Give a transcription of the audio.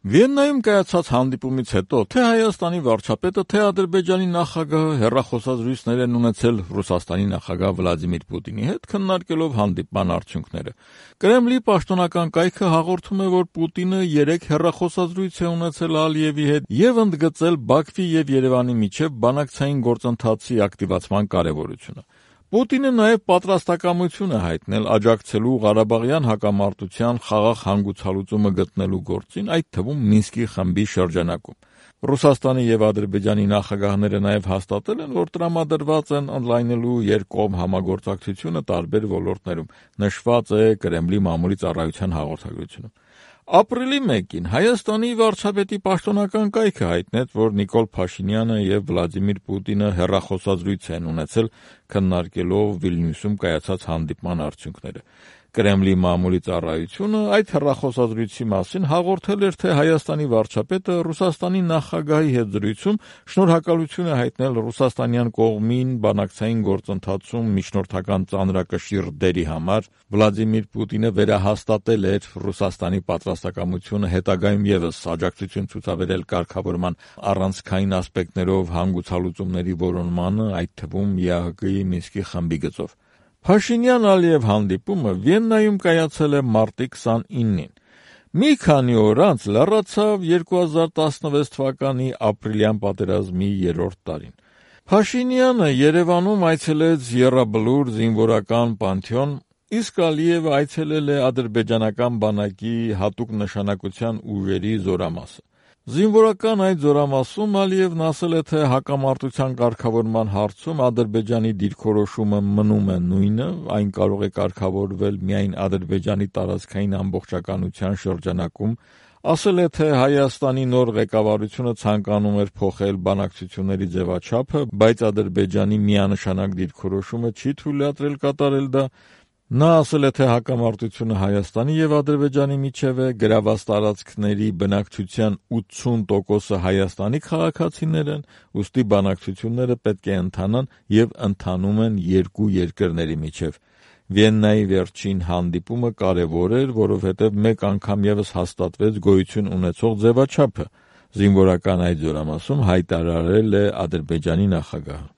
Վիեննայում կայացած հանդիպումից հետո թե Հայաստանի վարչապետը, թե Ադրբեջանի նախագահը հեռախոսազրույցներ են ունեցել Ռուսաստանի նախագահ Վլադիմիր Պուտինի հետ, քննարկելով հանդիպման արդյունքները։ Կրեմլի պաշտոնական կայքը հաղորդում է, որ Պուտինը 3 հեռախոսազրույց է ունեցել Ալիևի հետ եւ ընդգծել Բաքվի եւ Երևանի միջեւ բանակցային գործընթացի ակտիվացման կարեւորությունը։ Պուտինը նաև պատրաստակամություն է հայտնել աջակցելու Ղարաբաղյան հակամարտության խաղաղ հանգուցալուծումը գտնելու գործին, այդ թվում Մինսկի խմբի շրջանակում։ Ռուսաստանի եւ Ադրբեջանի նախագահները նաև հաստատել են, որ տրամադրված են ընդլայնելու երկկողմ համագործակցությունը տարբեր ոլորտներում, նշված է Կրեմլի մամուլի ծառայության հաղորդագրությունում։ Ապրիլի 1-ին Հայաստանի վարչապետի պաշտոնական կայքը հայտնեց, որ Նիկոլ Փաշինյանը եւ Վլադիմիր Պուտինը հեռախոսազրույց են ունեցել, քննարկելով Վիլնյուսում կայացած հանդիպման արդյունքները։ Կրեմլի մամուլի ծառայությունը այդ հեռախոսազրույցի մասին հաղորդել էր, թե Հայաստանի վարչապետը Ռուսաստանի նախագահի հետ զրույցում շնորհակալություն է հայտնել ռուսաստանյան կողմին բանակցային գործընթացում միջնորդական ծանրակշիռ դերի համար։ Վլադիմիր Պուտինը վերահաստատել էր Ռուսաստանի պատրաստակամությունը հետագայում եւս աջակցություն ցուցաբերել կարգավորման առանցքային ասպեկտներով հանգուցալուծումների որոնմանը, այդ թվում ԵԱՀԿ-ի Մինսկի խմբի գծով։ Փաշինյան-Ալիև հանդիպումը Վիեննայում կայացել է մարտի 29-ին։ Մի քանի օր անց լռացավ 2016 թվականի ապրիլյան պատերազմի 3-րդ տարին։ Փաշինյանը Երևանում այցելեց Եռաբլուր զինվորական պանթեոն, իսկ Ալիևը այցելել է ադրբեջանական բանակի հատուկ նշանակության ուժերի զորամասը։ Զինվորական այդ զորամասում Ալիևն ասել է, թե հակամարտության կարգավորման հարցում Ադրբեջանի դիրքորոշումը մնում է նույնը, այն կարող է կարգավորվել միայն Ադրբեջանի տարածքային ամբողջականության շրջանակում, ասել է, թե Հայաստանի նոր ղեկավարությունը ցանկանում էր փոխել բանակցությունների ձևաչափը, բայց Ադրբեջանի միանշանակ դիրքորոշումը չի թույլատրել կատարել դա։ Նա ասել է, թե հակամարտությունը Հայաստանի եւ Ադրբեջանի միջև է, գրաված տարածքների բնակչության 80%-ը Հայաստանի քաղաքացիներ են, ուստի բանակցությունները պետք է ընթանան եւ ընթանում են երկու երկրների միջև։ Վիեննայի վերջին հանդիպումը կարևոր էր, որովհետեւ մեկ անգամ եւս հաստատվեց գոյություն ունեցող ձևաչափը։ Զինվորական այդ զորամասում հայտարարել է Ադրբեջանի նախագահը։